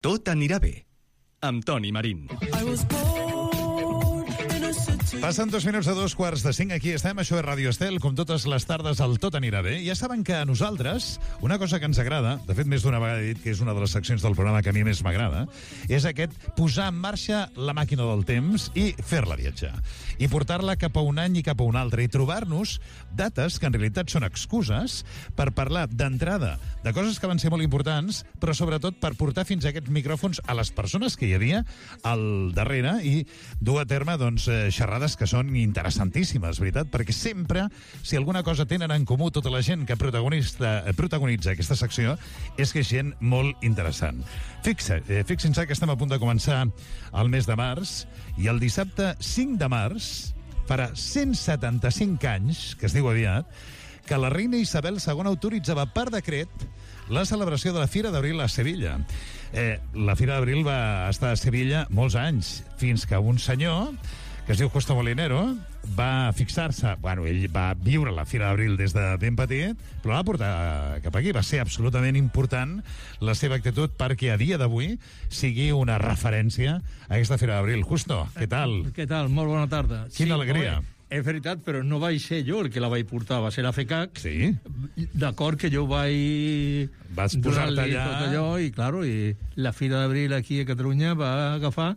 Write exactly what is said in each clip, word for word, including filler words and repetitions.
Tot anirà bé, amb Toni Marín. Passen dos minuts a dos quarts de cinc. Aquí estem, això és Ràdio Estel, com totes les tardes el Tot anirà bé. Ja saben que a nosaltres, una cosa que ens agrada, de fet més d'una vegada he dit que és una de les seccions del programa que a mi més m'agrada, és aquest posar en marxa la màquina del temps i fer-la viatjar. I portar-la cap a un any i cap a un altre. I trobar-nos dates que en realitat són excuses per parlar d'entrada de coses que van ser molt importants, però sobretot per portar fins a aquests micròfons a les persones que hi havia al darrere i dur a terme, doncs, xerrades que són interessantíssimes, veritat? Perquè sempre, si alguna cosa tenen en comú tota la gent que protagonista, protagonitza aquesta secció, és que és gent molt interessant. Fixa, eh, fixin-se que estem a punt de començar el mes de març i el dissabte cinc de març farà cent setanta-cinc anys, que es diu aviat, que la reina Isabel segona autoritzava per decret la celebració de la Fira d'Abril a Sevilla. Eh, la Fira d'Abril va estar a Sevilla molts anys, fins que un senyor que es diu Justo Molinero, va fixar-se, bueno, ell va viure la Fira d'Abril des de ben petit, però la va portar cap aquí. Va ser absolutament important la seva actitud perquè a dia d'avui sigui una referència a aquesta Fira d'Abril. Justo, què tal? Què tal? Molt bona tarda. Quina sí, alegria. Home, és veritat, però no vaig ser jo el que la vaig portar, va ser la FECAC. Sí. D'acord que jo vaig... Vas posar-te allà... Tot allò, i, claro, i la Fira d'Abril aquí a Catalunya va agafar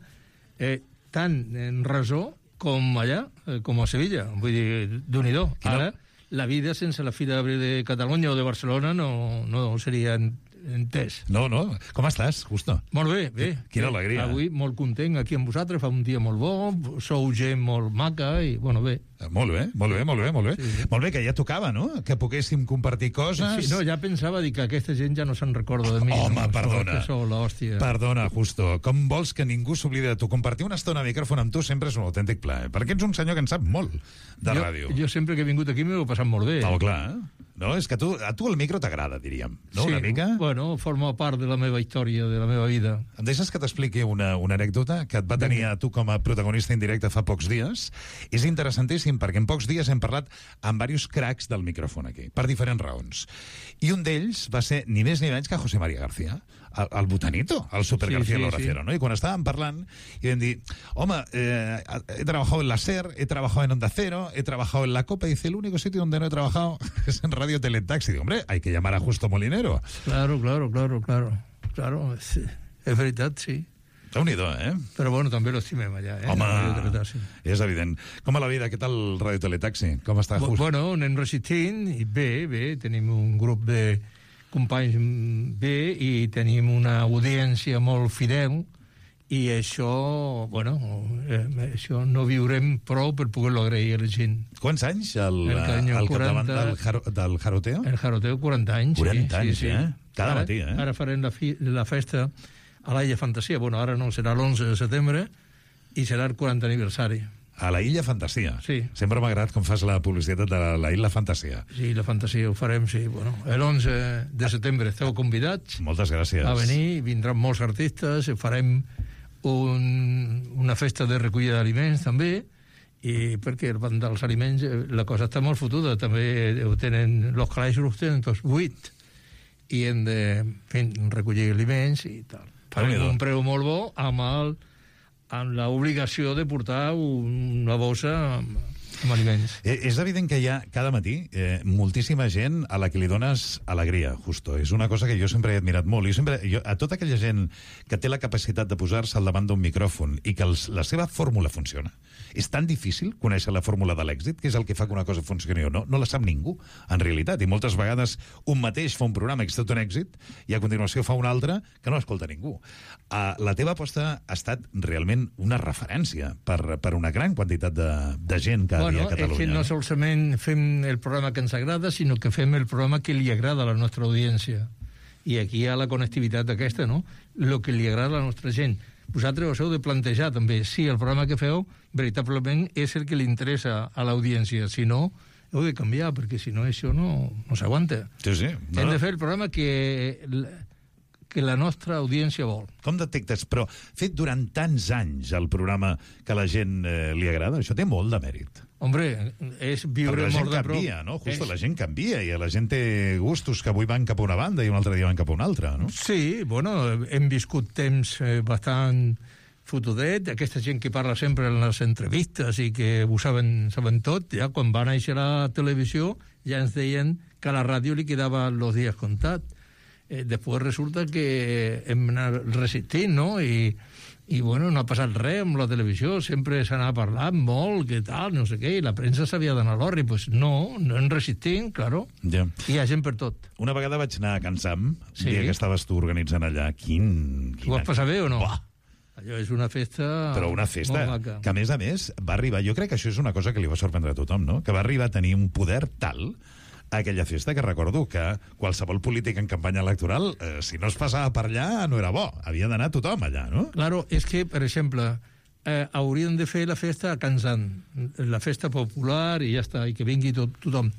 eh, tant en Resó com allà, com a Sevilla. Vull dir, Déu-n'hi-do. Ara, la vida sense la Fira d'Abril de Catalunya o de Barcelona no, no seria entès. No, no. Com estàs, Justo? Molt bé, bé. Quina bé. alegria. Avui molt content aquí amb vosaltres, fa un dia molt bo, sou gent molt maca i, bueno, bé. Molt bé, molt bé, molt bé, molt bé. Sí, sí. Molt bé, que ja tocava, no?, que poguéssim compartir coses. Sí, no, ja pensava dir que aquesta gent ja no se'n recorda de mi. Home, no? perdona. Que sou l'hòstia. Perdona, Justo. Com vols que ningú s'oblidi de tu? Compartir una estona a micròfon amb tu sempre és un autèntic plaer, perquè ets un senyor que en sap molt de jo, ràdio. Jo sempre que he vingut aquí m'ho he passat molt bé. Oh, clar. No, és que a tu, a tu el micro t'agrada, diríem. No, sí, una mica? Bueno, forma part de la meva història, de la meva vida. Em deixes que t'expliqui una, una anècdota que et va tenir a tu com a protagonista indirecte fa pocs dies? És interessantíssim, perquè en pocs dies hem parlat amb diversos cracs del micròfon aquí, per diferents raons. I un d'ells va ser ni més ni menys que José María García, el, el botanito, el Super Sí, García sí, Loraciero, sí. ¿no? I quan estàvem parlant, i vam dir, home, eh, he trabajado en la SER, he trabajado en Onda Cero, he trabajado en la COPE, y dice, el único sitio donde no he trabajado es en Radio Teletaxi. Digo, hombre, hay que llamar a Justo Molinero. Claro, claro, claro, claro. Claro, és, és veritat, sí. Déu-n'hi-do, eh? Però bueno, també l'estimem allà, eh? Home, Teletaxi. és evident. Com a la vida, què tal Radio Teletaxi? Com està, Bu- Justo? Bueno, anem resistint, i bé, bé, tenim un grup de companys bé i tenim una audiència molt fidel i això, bueno, eh, això no viurem prou per poder-lo agrair a la gent. Quants anys el, El caño, el capdavant quaranta. del, jaro, del jaroteo? El Jaroteo, quaranta anys. quaranta anys, sí, sí. eh? Cada ara, matí, eh? Ara farem la, fi, la festa a l'Illa Fantasia. Bueno, ara no, serà l'onze de setembre i serà el quaranta aniversari. A la Illa Fantasia. Sí. Sempre m'ha agradat com fas la publicitat de la, la Illa Fantasia. Sí, la fantasia ho farem, sí. Bueno, l'onze de setembre esteu convidats Moltes gràcies. a venir, vindran molts artistes, farem un, una festa de recollida d'aliments també, i perquè el banc dels aliments eh, la cosa està molt fotuda, també ho tenen, els calaixos els tenen tots buit i hem de fer, recollir aliments i tal. Farem Déu-n'hi-do. un preu molt bo amb el amb l'obligació de portar una bossa amb, amb aliments. Eh, és evident que hi ha cada matí eh, moltíssima gent a la que li dones alegria, Justo. És una cosa que jo sempre he admirat molt. Jo sempre, jo, a tota aquella gent que té la capacitat de posar-se al davant d'un micròfon i que els, la seva fórmula funciona, és tan difícil conèixer la fórmula de l'èxit, que és el que fa que una cosa funcioni o no. No la sap ningú, en realitat. I moltes vegades un mateix fa un programa que és tot un èxit i a continuació fa un altre que no escolta ningú. Uh, la teva aposta ha estat realment una referència per, per una gran quantitat de, de gent cada Bueno, dia a Catalunya. és que no solament fem el programa que ens agrada, sinó que fem el programa que li agrada a la nostra audiència. I aquí hi ha la connectivitat aquesta, no? El que li agrada a la nostra gent. Vosaltres us heu de plantejar també si el programa que feu veritablement és el que li interessa a l'audiència. Si no, heu de canviar, perquè si no això no, no s'aguanta. Sí, sí. No, Hem no. de fer el programa que, que la nostra audiència vol. Com detectes? Però fet durant tants anys el programa que a la gent eh, li agrada, això té molt de mèrit. Hombre, és viure Perquè la gent molt de prop. canvia, no? Justo, És... la gent canvia i la gent té gustos que avui van cap a una banda i un altre dia van cap a una altra, no? Sí, bueno, hem viscut temps eh, bastant fotudet, aquesta gent que parla sempre en les entrevistes i que ho saben, saben tot, ja quan va néixer la televisió ja ens deien que a la ràdio li quedava els dies comptats. Eh, després resulta que hem anat resistint, no? I, i bueno, no ha passat res amb la televisió, sempre s'anava parlant molt, que tal, no sé què, i la premsa s'havia d'anar a l'orri. Pues no, no en resistim, claro. Ja. Hi ha gent per tot. Una vegada vaig anar a Can Sam, Sí. el dia que estaves tu organitzant allà. Quin... Ho vas passar bé o no? Buah. Allò és una festa... Però una festa molt maca. que, a més a més, va arribar... Jo crec que això és una cosa que li va sorprendre a tothom, no? Que va arribar a tenir un poder tal a aquella festa que recordo que qualsevol polític en campanya electoral, eh, si no es passava per allà, no era bo. Havia d'anar tothom allà, no? Claro, és que, per exemple, eh, haurien de fer la festa a Can Sam, la festa popular i ja està, i que vingui tot, tothom.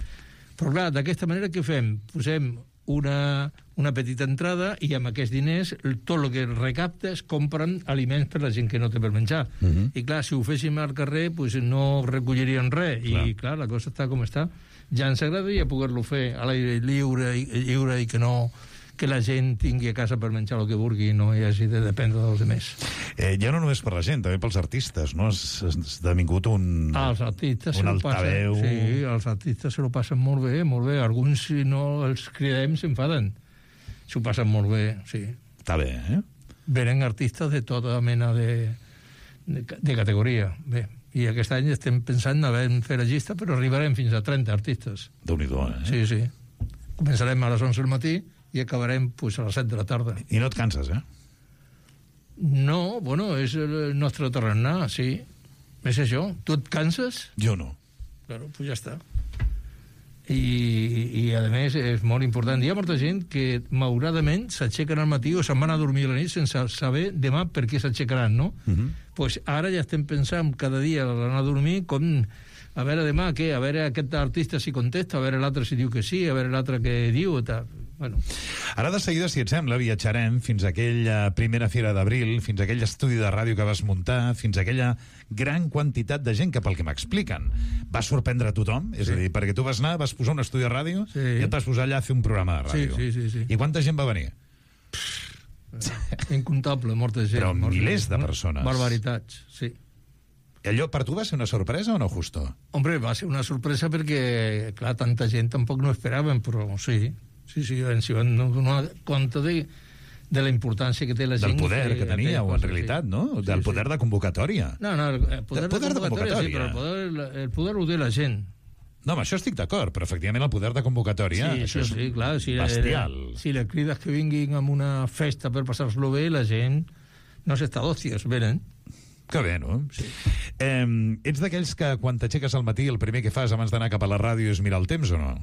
Però clar, d'aquesta manera què fem? Posem una, una petita entrada i amb aquests diners tot el que recaptes compren aliments per la gent que no té per menjar. Uh -huh. I clar, si ho féssim al carrer pues no recollirien res. Clar. I clar, la cosa està com està. Ja ens agradaria poder-lo fer a l'aire lliure i, lliure i que no que la gent tingui a casa per menjar el que vulgui i no hi hagi de dependre dels altres. Eh, ja no només per la gent, també pels artistes, no? Has, has esdevingut un... Ah, els artistes un se lo passen, altaveu. sí, els artistes se lo passen molt bé, molt bé. Alguns, si no els cridem, s'enfaden. S'ho passen molt bé, sí. Està bé, eh? Venen artistes de tota mena de, de, de categoria. Bé, i aquest any estem pensant en haver fer la llista, però arribarem fins a trenta artistes. Déu-n'hi-do, eh? Sí, sí. Començarem a les onze del matí i acabarem pues, a les set de la tarda. I no et canses, eh? No, bueno, és el nostre tarannà, sí. És això. Tu et canses? Jo no. Claro, pues ja està. I, i a més és molt important. Hi ha molta gent que malauradament s'aixequen al matí o se'n van a dormir a la nit sense saber demà per què s'aixecaran, no? Uh -huh. Pues ara ja estem pensant cada dia a l'anar a dormir com a veure demà què, a veure aquest artista si contesta, a veure l'altre si diu que sí, a veure l'altre què diu, tal. Bueno. Ara de seguida, si et sembla, viatjarem fins a aquella primera fira d'abril, fins a aquell estudi de ràdio que vas muntar, fins a aquella gran quantitat de gent que, pel que m'expliquen, va sorprendre a tothom. És Sí. a dir, perquè tu vas anar, vas posar un estudi de ràdio Sí. i et vas posar allà a fer un programa de ràdio. Sí, sí, sí, sí. I quanta gent va venir? Incontable, molta gent. Però molta milers gent. de persones. Barbaritats, sí. Allò per tu va ser una sorpresa o no, Justo? Hombre, va ser una sorpresa perquè, clar, tanta gent tampoc no esperaven, però sí, sí, sí, ens hi van donar compte de, de la importància que té la gent. Del poder que, que tenia, o en cosa, realitat, sí. no? Sí, Del sí. poder de convocatòria. No, no, el poder, El poder de, de convocatòria, sí, però el convocatòria. poder, el poder ho té la gent. No, amb això estic d'acord, però efectivament el poder de convocatòria, Sí, això això sí, és clar, si, bestial. eh, si les crides que vinguin amb una festa per passar-lo bé, la gent no s'està d'òcies, venen. Que bé, no? Sí. Eh, ets d'aquells que quan t'aixeques al matí el primer que fas abans d'anar cap a la ràdio és mirar el temps o no?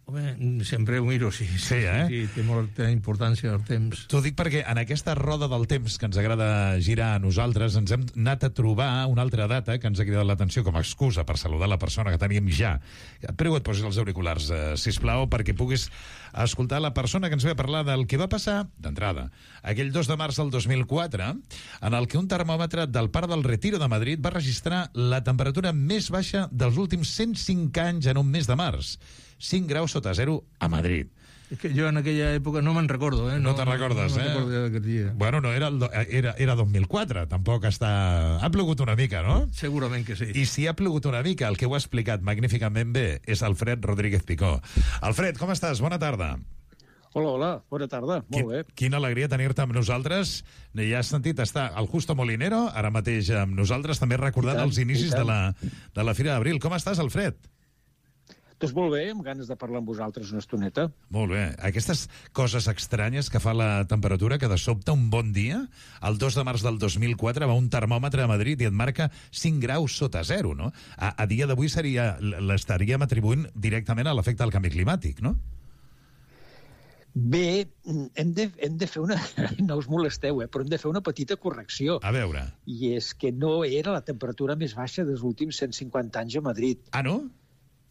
Home, sempre ho miro, sí. Sí, eh? Sí, té molta importància el temps. T'ho dic perquè en aquesta roda del temps que ens agrada girar a nosaltres ens hem anat a trobar una altra data que ens ha cridat l'atenció com a excusa per saludar la persona que teníem ja. Prego et posis els auriculars, eh, sisplau, perquè puguis escoltar la persona que ens ve a parlar del que va passar, d'entrada, aquell dos de març del dos mil quatre, en el que un termòmetre del Parc del Retiro de Madrid va registrar la temperatura més baixa dels últims cent cinc anys en un mes de març. cinc graus sota zero a Madrid. És que jo en aquella època no me'n recordo, eh? No, no te'n recordes, no, no eh? me'n recordo d'aquest dia. Bueno, no, era, el, do- era, era dos mil quatre, tampoc està... Ha plogut una mica, no? Segurament que sí. I si ha plogut una mica, el que ho ha explicat magníficament bé és Alfred Rodríguez Picó. Alfred, com estàs? Bona tarda. Hola, hola, bona tarda, molt bé. Quina alegria tenir-te amb nosaltres. Ja has sentit estar el Justo Molinero, ara mateix amb nosaltres, també recordant I tant, els inicis i de tant. la, de la Fira d'Abril. Com estàs, Alfred? Doncs molt bé, amb ganes de parlar amb vosaltres una estoneta. Molt bé. Aquestes coses estranyes que fa la temperatura, que de sobte un bon dia, el dos de març del dos mil quatre, va un termòmetre a Madrid i et marca cinc graus sota zero, no? A, a dia d'avui seria l'estaríem atribuint directament a l'efecte del canvi climàtic, no? Bé, hem de, hem de fer una... No us molesteu, eh? Però hem de fer una petita correcció. A veure. I és que no era la temperatura més baixa dels últims cent cinquanta anys a Madrid. Ah, no?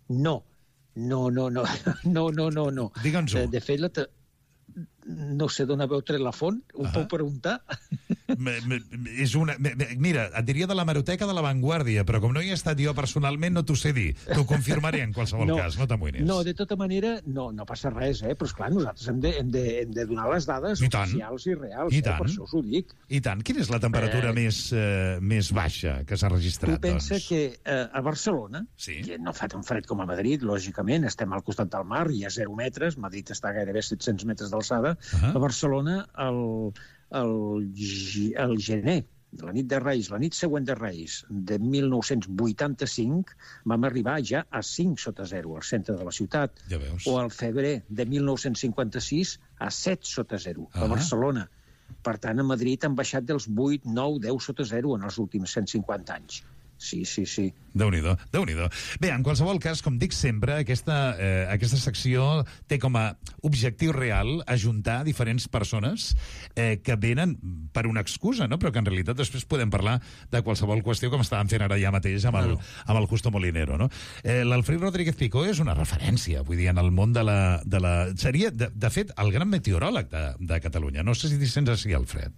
No. No, no, no. No, no, no, no. Digue'ns-ho. De, de fet, la te... no sé d'on haveu tret la font, ho Ah. puc preguntar? Me, me, és una, me, me, mira, et diria de l'hemeroteca de La Vanguardia, però com no hi he estat jo personalment no t'ho sé dir. T'ho confirmaré en qualsevol No. cas, no t'amoïnis. No, de tota manera, no, no passa res, eh? Però, esclar, nosaltres hem de, hem de, hem de donar les dades I tant. oficials i reals, I eh? tant. Per això us ho dic. I tant, quina és la temperatura Eh. més, eh, més baixa que s'ha registrat, Tu pensa doncs? que eh, a Barcelona, Sí. que no fa tan fred com a Madrid, lògicament, estem al costat del mar, hi ha zero metres, Madrid està gairebé set-cents metres d'alçada, Ahà. a Barcelona, el, el, gi- el gener, la nit de Reis, la nit següent de Reis, de mil nou-cents vuitanta-cinc, vam arribar ja a cinc sota zero al centre de la ciutat. Ja veus. O al febrer de mil nou-cents cinquanta-sis a set sota zero Ah. a Barcelona. Per tant, a Madrid han baixat dels vuit, nou, deu sota zero en els últims cent cinquanta anys. Sí, sí, sí. Déu-n'hi-do, Déu-n'hi-do. Bé, en qualsevol cas, com dic sempre, aquesta, eh, aquesta secció té com a objectiu real ajuntar diferents persones eh, que venen per una excusa, no? Però que en realitat després podem parlar de qualsevol qüestió, com estàvem fent ara ja mateix amb el, amb el Justo Molinero, no? Eh, L'Alfred Rodríguez Picó és una referència, vull dir, en el món de la... De la... Seria, de, de fet, el gran meteoròleg de, de Catalunya. No sé si t'hi sents així, Alfred.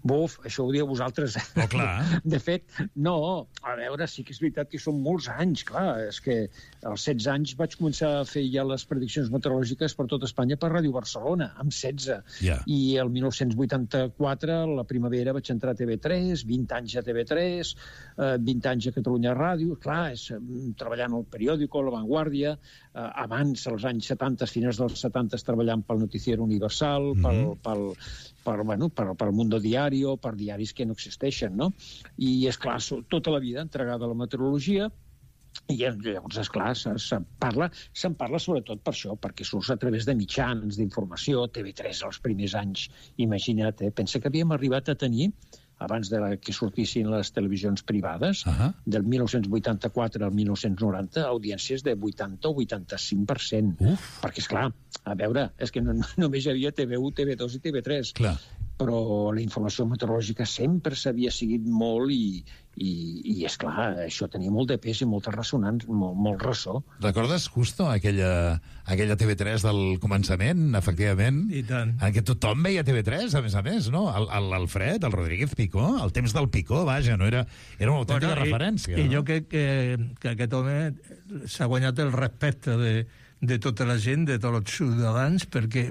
Buf, això ho dieu vosaltres. Oh, clar. De fet, no, a veure, sí que és veritat que són molts anys, clar, és que als setze anys vaig començar a fer ja les prediccions meteorològiques per tot Espanya per Ràdio Barcelona, amb setze. Ja. I el mil nou-cents vuitanta-quatre, la primavera, vaig entrar a T V tres, vint anys a T V tres, eh, vint anys a Catalunya Ràdio, clar, és, mm, treballant al periòdico, a La Vanguardia, eh, abans, als anys setanta, finals dels setanta, treballant pel Noticiero Universal, pel, Mhm. pel, per, bueno, per, per Mundo Diario, per diaris que no existeixen, no? I, és clar, tota la vida entregada a la meteorologia, i llavors, esclar, se'n se parla, se'n parla sobretot per això, perquè surts a través de mitjans d'informació, T V tres els primers anys, imagina't, eh? Pensa que havíem arribat a tenir, abans de la, que sortissin les televisions privades, Ahà. del mil nou-cents vuitanta-quatre al mil nou-cents noranta, audiències de vuitanta o vuitanta-cinc per cent. Uf. Perquè, és clar, a veure, és que no, només hi havia T V u, T V dos i T V tres. Clar. Però la informació meteorològica sempre s'havia seguit molt i, i, i és clar, això tenia molt de pes i molta ressonància, molt, molt ressò. Recordes, Justo, aquella, aquella T V tres del començament, efectivament? I tant. En què tothom veia T V tres, a més a més, no? El- el- L'Alfred, el Rodríguez Picó, el temps del Picó, vaja, no era, era una autèntica Bueno, i- referència. I no? jo crec que, que aquest home s'ha guanyat el respecte de, de tota la gent, de tots els ciutadans, perquè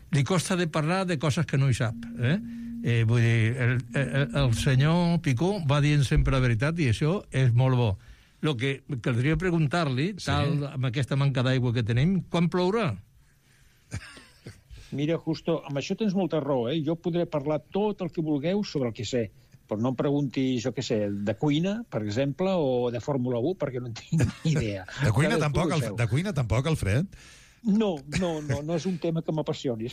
li costa de parlar de coses que no hi sap. Eh? Eh, vull dir, el, el, el senyor Picó va dient sempre la veritat i això és molt bo. El que caldria preguntar-li, Sí. tal, amb aquesta manca d'aigua que tenim, quan plourà? Mira, Justo, amb això tens molta raó, eh? Jo podré parlar tot el que vulgueu sobre el que sé, però no em preguntis, jo què sé, de cuina, per exemple, o de Fórmula u, perquè no en tinc ni idea. De cuina Cadascú tampoc, el el, seu. de cuina tampoc, Alfred? No, no, no, no és un tema que m'apassioni.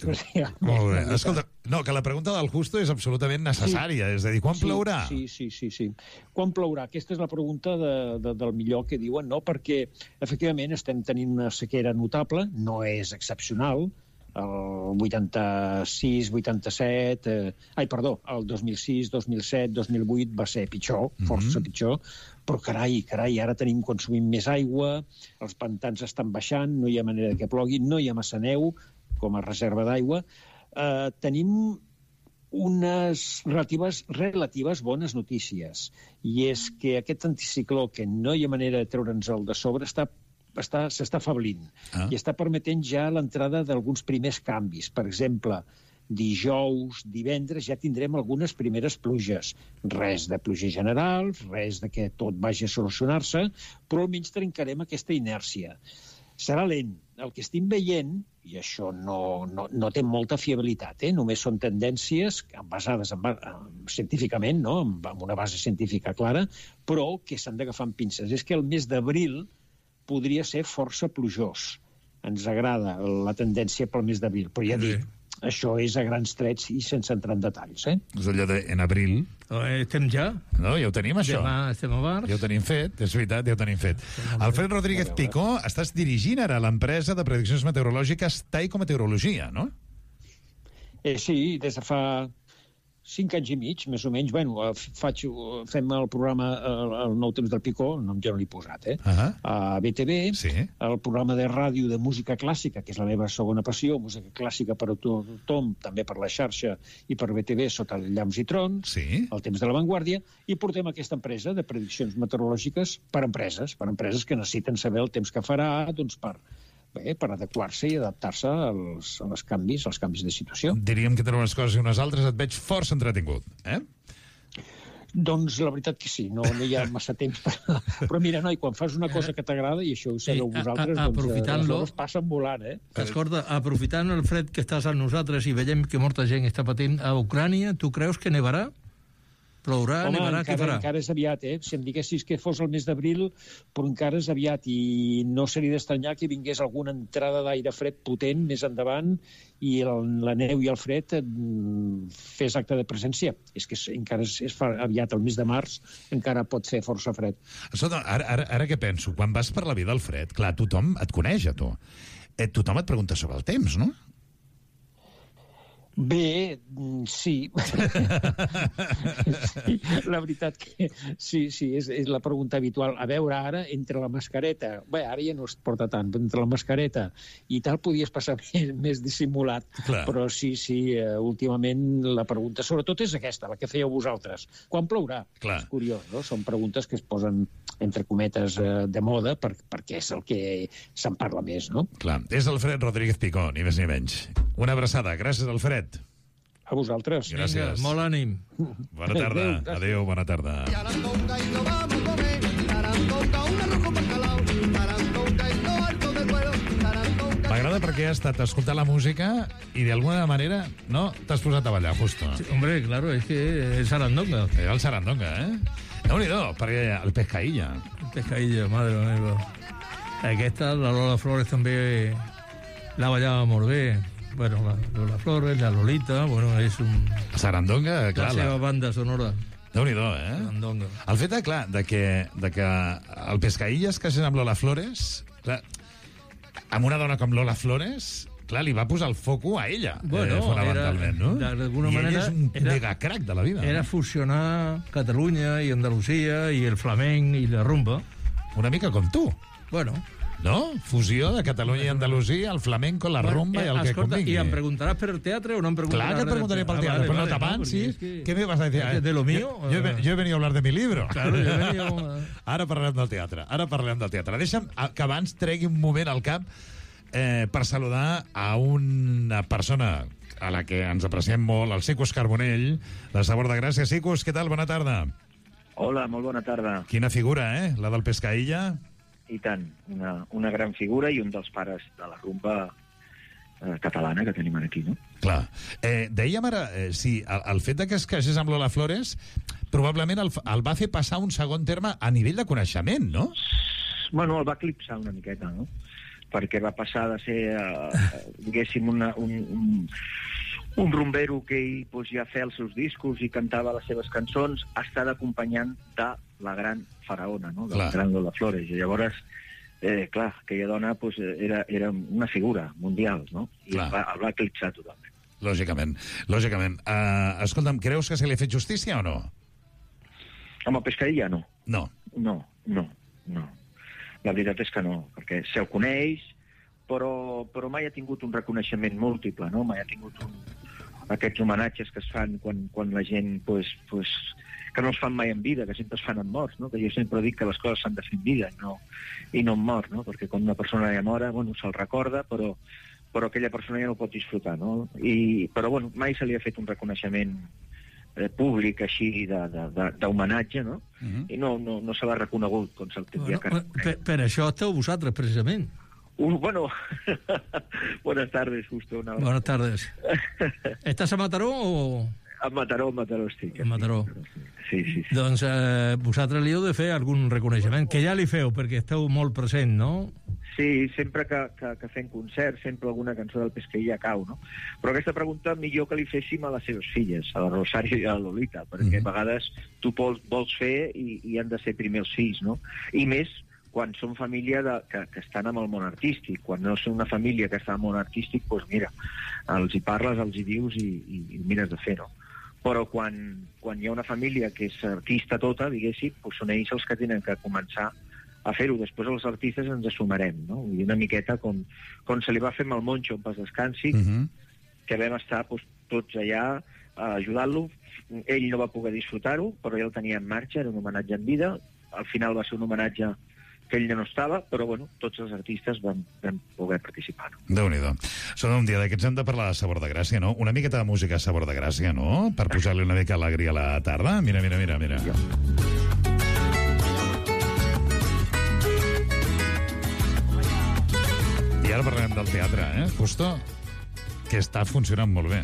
Molt bé. Escolta, no, que la pregunta del Justo és absolutament necessària. Sí. És a dir, quan Sí, plourà? Sí, sí, sí, sí. Quan plourà? Aquesta és la pregunta de, de, del millor que diuen, no? Perquè, efectivament, estem tenint una sequera notable, no és excepcional, el vuitanta-sis, vuitanta-set... Eh, ai, perdó, el dos mil sis, dos mil set, dos mil vuit va ser pitjor, força Mhm. pitjor, però carai, carai, ara tenim consumint més aigua, els pantans estan baixant, no hi ha manera que plogui, no hi ha massa neu com a reserva d'aigua. Eh, tenim unes relatives, relatives bones notícies, i és que aquest anticicló, que no hi ha manera de treure'ns el de sobre, està està, s'està afablint Ah. i està permetent ja l'entrada d'alguns primers canvis. Per exemple, dijous, divendres, ja tindrem algunes primeres pluges. Res de pluja general, res de que tot vagi a solucionar-se, però almenys trencarem aquesta inèrcia. Serà lent. El que estem veient, i això no, no, no té molta fiabilitat, eh? Només són tendències basades en, en, científicament, no? amb, amb una base científica clara, però que s'han d'agafar amb pinces. És que el mes d'abril podria ser força plujós. Ens agrada la tendència pel mes d'abril, però ja Sí. dic, això és a grans trets i sense entrar en detalls. Eh? És allò de en abril. Eh, Estem ja? No, ja ho tenim, això. Demà estem a març. Ja ho tenim fet, és veritat, ja ho tenim fet. Alfred Rodríguez Picó, estàs dirigint ara l'empresa de prediccions meteorològiques Taiko Meteorologia, no? Eh, sí, des de fa Cinc anys i mig, més o menys. Bueno, faig, fem el programa El, el Nou Temps del Picó, nom jo no l'he posat, eh? Uh-huh. A B T V, sí. El programa de ràdio de música clàssica, que és la meva segona passió, música clàssica per a tothom, també per la xarxa i per B T V, sota Llamps i Trons, sí. El Temps de l'Avantguàrdia, i portem aquesta empresa de prediccions meteorològiques per empreses, per empreses que necessiten saber el temps que farà, doncs per... Bé, per adequar-se i adaptar-se als, als canvis, als canvis de situació. Diríem que tenen unes coses i unes altres, et veig força entretingut, eh? Doncs la veritat que sí, no, no hi ha massa temps. Per... Però mira, noi, quan fas una cosa que t'agrada, i això ho sabeu vosaltres, doncs les hores passen volant, eh? Escolta, aprofitant el fred que estàs amb nosaltres i veiem que molta gent està patint a Ucrània, tu creus que nevarà? Plourà, Home, nevarà, què farà? Encara és aviat, eh? Si em diguessis que fos el mes d'abril, però encara és aviat, i no seria d'estranyar que vingués alguna entrada d'aire fred potent més endavant i el, la neu i el fred fes acte de presència. És que encara és, és aviat, el mes de març, encara pot fer força fred. Escolta, ara, ara, ara què penso? Quan vas per la vida al fred, clar, tothom et coneix, a tu. Eh, tothom et pregunta sobre el temps, no? Bé, sí. sí. La veritat que sí, sí, és, és la pregunta habitual. A veure, ara, entre la mascareta... Bé, ara ja no es porta tant, però entre la mascareta i tal podies passar més, més dissimulat. Clar. Però sí, sí, uh, últimament la pregunta sobretot és aquesta, la que fèieu vosaltres. Quan plourà? Clar. És curiós, no? Són preguntes que es posen entre cometes uh, de moda per, perquè és el que se'n parla més, no? Clar, és Alfred Rodríguez Picó, ni més ni menys. Una abraçada. Gràcies, Alfred. A vosaltres. Gràcies. Vinga, molt ànim. Bona tarda. Adéu, Adéu, bona tarda. M'agrada perquè has estat escoltant la música i d'alguna manera, no, t'has posat a ballar, justo. Sí, hombre, claro, es que es sarandonga. Era el sarandonga, eh? Déu-n'hi-do, perquè el pescaïlla. Pescaïlla, madre meva. Aquesta, la Lola Flores també la ballava molt bé. Bueno, la Lola Flores, la Lolita, bueno, és un... Sarandonga, clar. La seva banda sonora. Déu-n'hi-do, eh? Sarandonga. El fet, de, clar, de que, de que el pescaïlla es casés amb Lola Flores, clar, amb una dona com Lola Flores, clar, li va posar el foco a ella, Bueno, eh, fonamentalment, no? d'alguna I manera... ella és un era, megacrac de la vida. Era no? fusionar Catalunya i Andalusia i el flamenc i la rumba. Una mica com tu, Bueno... no? Fusió de Catalunya i Andalusia, el flamenco, la bueno, rumba eh, i el que escolta, convingui. I em preguntaràs per el teatre o no em preguntaràs? Clar que et preguntaré pel teatre, ah, vale, pero vale, no tapan, no, ¿sí? es que... ¿Qué me vas a decir? Es que de lo mío... Yo, yo, he- yo he venido a hablar de mi libro. Claro, yo he venido... Ara parlem del teatre, ara parlem del teatre. Deixa'm que abans tregui un moment al cap eh, per saludar a una persona a la que ens apreciem molt, el Sicus Carbonell, de Sabor de Gràcia. Sicus, què tal? Bona tarda. Hola, molt bona tarda. Quina figura, eh? La del pescaïlla. I tant, una, una gran figura i un dels pares de la rumba eh, catalana que tenim aquí, no? Clar. Eh, dèiem ara, eh, sí, el, el fet de que es casés amb Lola Flores probablement el, el va fer passar a un segon terme a nivell de coneixement, no? Bueno, el va eclipsar una miqueta, no? Perquè va passar de ser, eh, diguéssim, una, un, un, un rumbero que ell pues, ja feia els seus discos i cantava les seves cançons, a estar acompanyant de la gran faraona, no? De la gran Lola Flores. I llavors, eh, clar, aquella dona pues, era, era una figura mundial, no? I el va, el va eclipsar totalment. Lògicament, lògicament. Uh, escolta'm, creus que se li ha fet justícia o no? Amb el pescaïlla, no. No. No, no, no. La veritat és que no, perquè se'l coneix, però, però mai ha tingut un reconeixement múltiple, no? Mai ha tingut un, aquests homenatges que es fan quan, quan la gent, pues, pues, que no es fan mai en vida, que sempre es fan en morts, no? Que jo sempre dic que les coses s'han de fer en vida i no, i no en mort, no? Perquè quan una persona ja mora, bueno, se'l recorda, però, però aquella persona ja no pot disfrutar, no? I, però, bueno, mai se li ha fet un reconeixement eh, públic així d'homenatge, no? Uh-huh. I no, no, no se l'ha reconegut com se'l tindria Bueno, que reconèixer. per, per això esteu vosaltres, precisament. Uh, bueno, buenas tardes, justo. Una... Buenas tardes. ¿Estàs a Mataró o...? A Mataró, a Mataró estic. A Mataró. Sí, sí, sí. Doncs eh, vosaltres li heu de fer algun reconeixement, que ja li feu, perquè esteu molt present, no? Sí, sempre que, que, que fem concerts, sempre alguna cançó del Pesqueïlla cau, no? Però aquesta pregunta millor que li féssim a les seves filles, a la Rosario i a la Lolita, perquè Mhm. a vegades tu vols, vols fer i, i han de ser primer els fills, no? I més quan són família de, que, que estan amb el món artístic. Quan no són una família que està al món artístic, doncs mira, els hi parles, els hi dius i, i, i mires de fer, no? però quan, quan hi ha una família que és artista tota, diguéssim, doncs són ells els que tenen que començar a fer-ho. Després els artistes ens assumarem, no? I una miqueta com, com se li va fer amb el Moncho en Pas Descansi, uh -huh. que vam estar doncs, tots allà a ajudar-lo. Ell no va poder disfrutar-ho, però ja el tenia en marxa, era un homenatge en vida. Al final va ser un homenatge que ell ja no estava, però bueno, tots els artistes vam, vam poder participar. Déu-n'hi-do. Són un dia d'aquests hem de parlar de Sabor de Gràcia, no? Una miqueta de música a Sabor de Gràcia, no? Per posar-li una mica alegria a la tarda. Mira, mira, mira, mira. Ja. I ara parlem del teatre, eh? Justo, que està funcionant molt bé.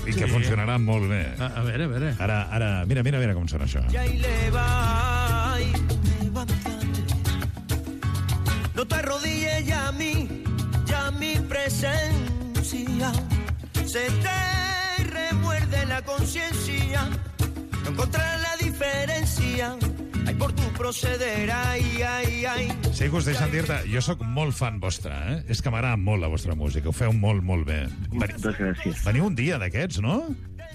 I sí. que funcionarà molt bé. A, a veure, a veure. Ara, ara, mira, mira, mira com sona això. Ya y le va, y levántate. No te arrodilles ya a mí, ya mi presencia. Se te remuerde la conciencia. No encontrar la diferencia. Ai, por tu proceder, ai, ai, ai. Sí que us deixen dir-te, jo sóc molt fan vostre, eh? És que m'agrada molt la vostra música, ho feu molt, molt bé. Moltes gràcies. Veniu un dia d'aquests, no?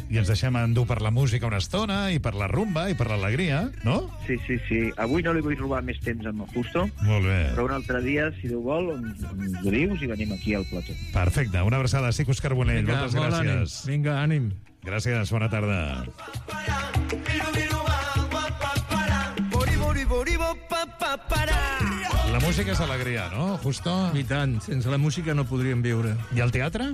I ens deixem endur per la música una estona, i per la rumba, i per l'alegria, no? Sí, sí, sí. Avui no li vull robar més temps amb el Justo, Molt bé. però un altre dia, si Déu vol, ens, ens ho dius i venim aquí al plató. Perfecte, una abraçada. Sí, Òscar Bonell, Vinga, moltes molt gràcies. ànim. Vinga, ànim. Gràcies, bona tarda. La música és alegria, no, Justo? I tant, sense la música no podríem viure. I el teatre?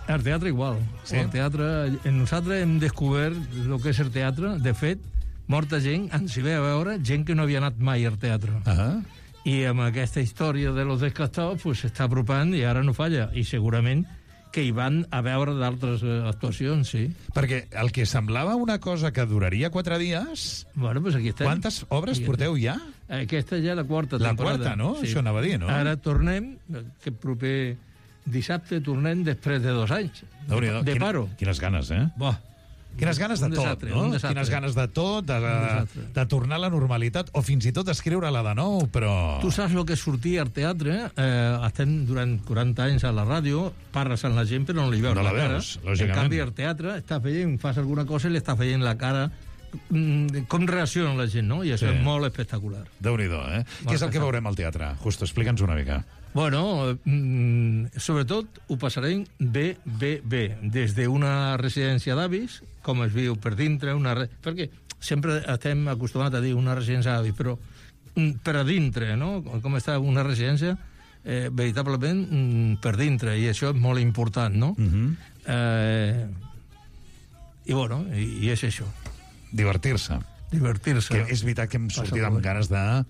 El teatre igual. Sí? El teatre, nosaltres hem descobert el que és el teatre. De fet, molta gent ens hi ve a veure, gent que no havia anat mai al teatre. Uh -huh. I amb aquesta història de los descastados pues, s'està apropant i ara no falla. I segurament que hi van a veure d'altres eh, actuacions, sí. Perquè el que semblava una cosa que duraria quatre dies... Bueno, pues aquí estem. Quantes obres Aquí porteu ja? Aquesta ja la quarta La temporada. quarta, no? Això anava a dir, no? Ara tornem, que proper dissabte tornem després de dos anys Déu-n'hi-do. de Quina- paro. Quines ganes, eh? Buah. Quines ganes de Un tot, desastre, no? un desastre. Quines ganes de tot, de, Un de, desastre. de tornar a la normalitat, o fins i tot escriure-la de nou, però... Tu saps el que és sortir al teatre? Eh, estem durant quaranta anys a la ràdio, parles amb la gent però no li veus No la cara. veus, En lògicament. canvi, al teatre estàs veient, fas alguna cosa i li estàs veient la cara, mm, com reacciona la gent, no? I això Sí. és molt espectacular. Déu-n'hi-do, eh? Què és el que veurem al teatre? Justo, explica'ns una mica. Bueno, mm, sobretot ho passarem bé, bé, bé. Des d'una residència d'avis, com es viu per dintre, una re... perquè sempre estem acostumats a dir una residència d'avis, però mm, per a dintre, no? Com està una residència, eh, veritablement mm, per dintre, i això és molt important, no? Uh -huh. eh, I bueno, i, i és això, Divertir-se. divertir-se. Que és veritat que hem Passa sortit molt amb bé. ganes de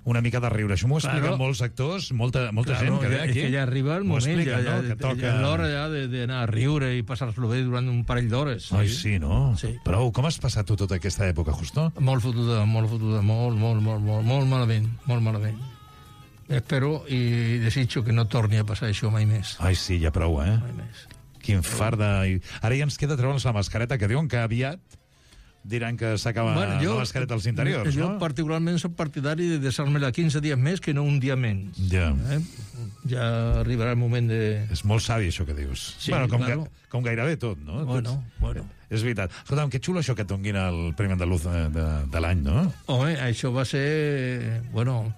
una mica de riure. Això m'ho expliquen Claro. molts actors, molta, molta Claro, gent que ve ja, aquí. és que ja arriba el M'ho moment, expliquen, ja, ja, no? Que toca... ja és l'hora ja de- d'anar a riure i passar-lo bé durant un parell d'hores. Ai, sí, no? Sí. Però com has passat tu tota aquesta època, Justo? Molt fotuda, molt fotuda, molt, molt, molt, molt, molt malament, molt malament. Espero i desitjo que no torni a passar això mai més. Ai, sí, ja prou, eh? Mai més. Quin fart de... Ara ja ens queda treure'ns la mascareta, que diuen que aviat diran que s'acaba bueno, la mascareta als interiors, jo no? particularment soc partidari de deixar-me-la quinze dies més que no un dia menys. Ja. Eh? Ja arribarà el moment de... És molt savi, això que dius. Sí, bueno, com, claro. ga, com gairebé tot, no? Bueno, Tots- bueno. És veritat. Escolta'm, que xulo això que et donguin el Premi Andaluz de, de, de l'any, no? Home, això va ser... Bueno,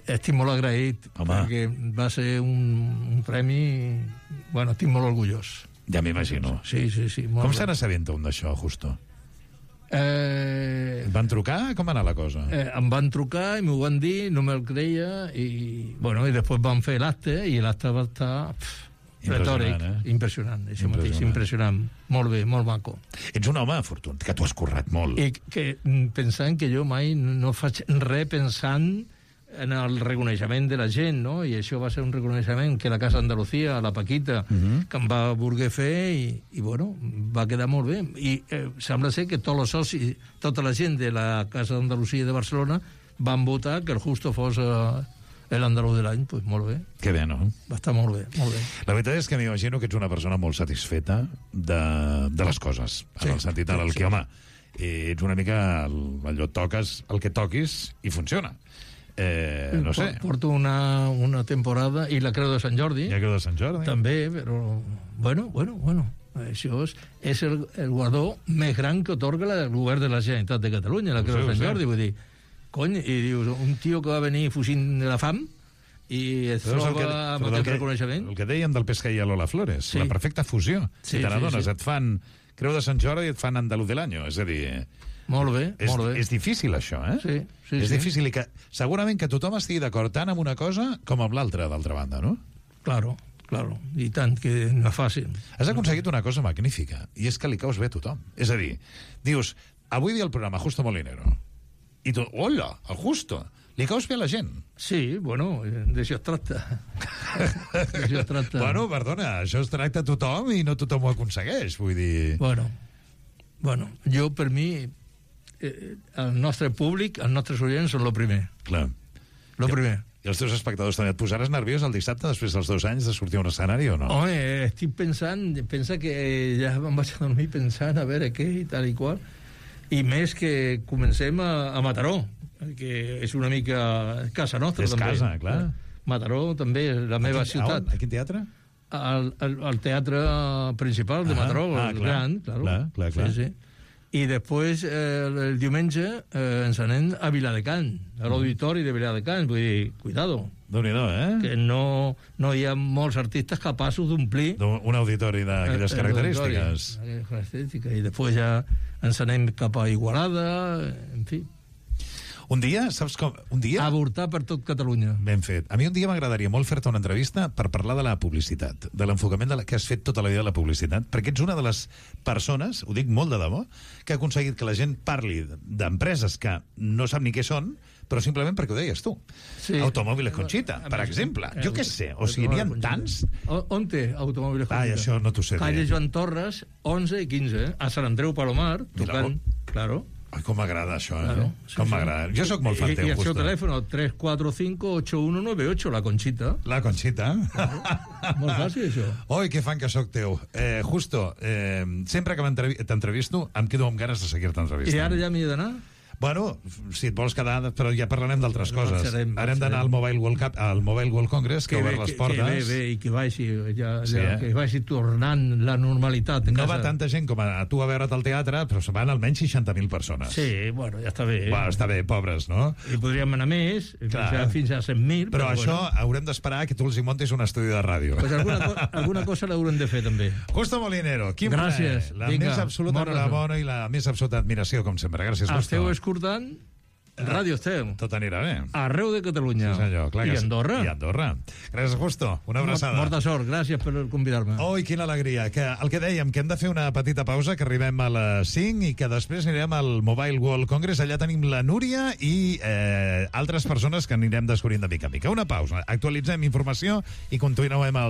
estic molt agraït, Home. perquè va ser un, un premi... Bueno, estic molt orgullós. Ja m'imagino. Sí, sí, sí. Molt Com bé. se n'assabenta un d'això, Justo? Eh, Et van trucar? Com va anar la cosa? eh, em van trucar i m'ho van dir, no me'l creia, i, bueno, i després van fer l'acte, i l'acte va estar pff, Impressionant, retòric, eh? impressionant, això Impressionant. mateix, impressionant. Molt bé, molt maco. Ets un home afortunat, que t'ho has currat molt. I que mm, pensant que jo mai no faig res pensant en el reconeixement de la gent, no? I això va ser un reconeixement que la Casa Andalucía, la Paquita, uh -huh. que em va voler fer, i, i bueno, va quedar molt bé. I eh, sembla ser que tots els socis, tota la gent de la Casa Andalucía de Barcelona van votar que el Justo fos eh, l'andalús de l'any, doncs molt bé. Que bé, no? Va estar molt bé, molt bé. La veritat és que m'imagino que ets una persona molt satisfeta de, de les coses, en Sí, el sentit en el sí, que, sí. home, ets una mica el, allò toques el que toquis i funciona. Eh, no sé, Porto una, una temporada, i la Creu de Sant Jordi, ja creu de Sant Jordi. també, però bueno, bueno, bueno. Això és, és el, el guardó més gran que otorga el govern de la Generalitat de Catalunya, la Creu de Sant Jordi, vull dir, cony, i dius, un tio que va venir fugint de la fam i es troba que, amb aquest reconeixement. El que dèiem del Pesca i Lola Flores, sí. La perfecta fusió. Sí, si te n'adones, sí, sí. et fan Creu de Sant Jordi i et fan Andalús de l'Any, és a dir... Molt bé, és, molt bé. És difícil, això, eh? Sí, sí, és sí. difícil i que segurament que tothom estigui d'acord tant amb una cosa com amb l'altra, d'altra banda, no? Claro. Claro, i tant, que no és fàcil. Has aconseguit una cosa magnífica, i és que li caus bé a tothom. És a dir, dius, avui dia el programa Justo Molinero, i tu, hola, el Justo, li caus bé a la gent. Sí, bueno, d'això es tracta. D'això es tracta. Bueno, perdona, això es tracta a tothom i no tothom ho aconsegueix, vull dir... Bueno, bueno, jo, per mi, eh, el nostre públic, els nostres oients són el primer. Clar. Lo primer. I els teus espectadors també. Et posaràs nerviós el dissabte després dels dos anys de sortir a un escenari o no? Home, estic pensant, pensa que ja em vaig a dormir pensant a veure què i tal i qual, i més que comencem a, a Mataró, que és una mica casa nostra, és també. És casa, clar. Mataró també és la meva a quin, ciutat. A, a quin teatre? Al, al, al teatre principal de ah, Mataró, ah, el clar, gran, claro. Clar, clar, clar. Sí, sí. I després, eh, el diumenge, eh, ens anem a Viladecans, a l'auditori de Viladecans. Vull dir, cuidado. Déu-n'hi-do, eh? Que no, no hi ha molts artistes capaços d'omplir... Un auditori d'aquelles eh, característiques. D'aquelles característiques. I després ja ens anem cap a Igualada, en fi. Un dia, saps com? Un dia... Avortar per tot Catalunya. Ben fet. A mi un dia m'agradaria molt fer-te una entrevista per parlar de la publicitat, de l'enfocament de la, que has fet tota la vida de la publicitat, perquè ets una de les persones, ho dic molt de debò, que ha aconseguit que la gent parli d'empreses que no sap ni què són, però simplement perquè ho deies tu. Sí. Automòbiles Conxita, per exemple. Jo què sé, o sigui, n'hi ha tants... On té Automòbiles Conxita? Ai, això no t'ho sé. Calle Joan Torres, onze i quinze, a Sant Andreu Palomar, tocant... Claro. Ai, com m'agrada això, eh? Claro, sí, com sí. m'agrada. Jo sóc molt fan I, teu, I el seu Justo. telèfon, tres quatre cinc ocho uno nueve ocho, la Conxita. La Conxita. Molt fàcil, això. Oi, que fan que sóc teu. Eh, Justo, eh, sempre que t'entrevisto em quedo amb ganes de seguir-te entrevistant. I ara ja m'hi he d'anar? Bueno, si et vols quedar, però ja parlarem d'altres coses. Marxarem, Ara hem d'anar al Mobile World Cup, al Mobile World Congress, que, que ha obert les portes. Que bé, bé, i que vagi, ja, sí, ja, eh? que vagi tornant la normalitat. No casa. va tanta gent com a tu a veure't al teatre, però se van almenys seixanta mil persones. Sí, bueno, ja està bé. Bueno, està bé, pobres, no? I podríem anar més, fins a, fins a cent mil. Però, però això bueno. Haurem d'esperar que tu els hi montis un estudi de ràdio. Pues alguna, co alguna cosa l'haurem de fer, també. Justo Molinero, quin Gràcies. plaer. La Vinga, més absoluta enhorabona i la més absoluta admiració, com sempre. Gràcies, Justo. Esteu escoltant Ràdio Estel. Tot anirà bé. Arreu de Catalunya. Sí, senyor. Clar I que sí. Andorra. I Andorra. Gràcies, Justo. Una abraçada. Molta sort. Gràcies per convidar-me. Oi, quina alegria. Que el que dèiem, que hem de fer una petita pausa, que arribem a les cinc i que després anirem al Mobile World Congress. Allà tenim la Núria i eh, altres persones que anirem descobrint de mica a mica. Una pausa. Actualitzem informació i continuem el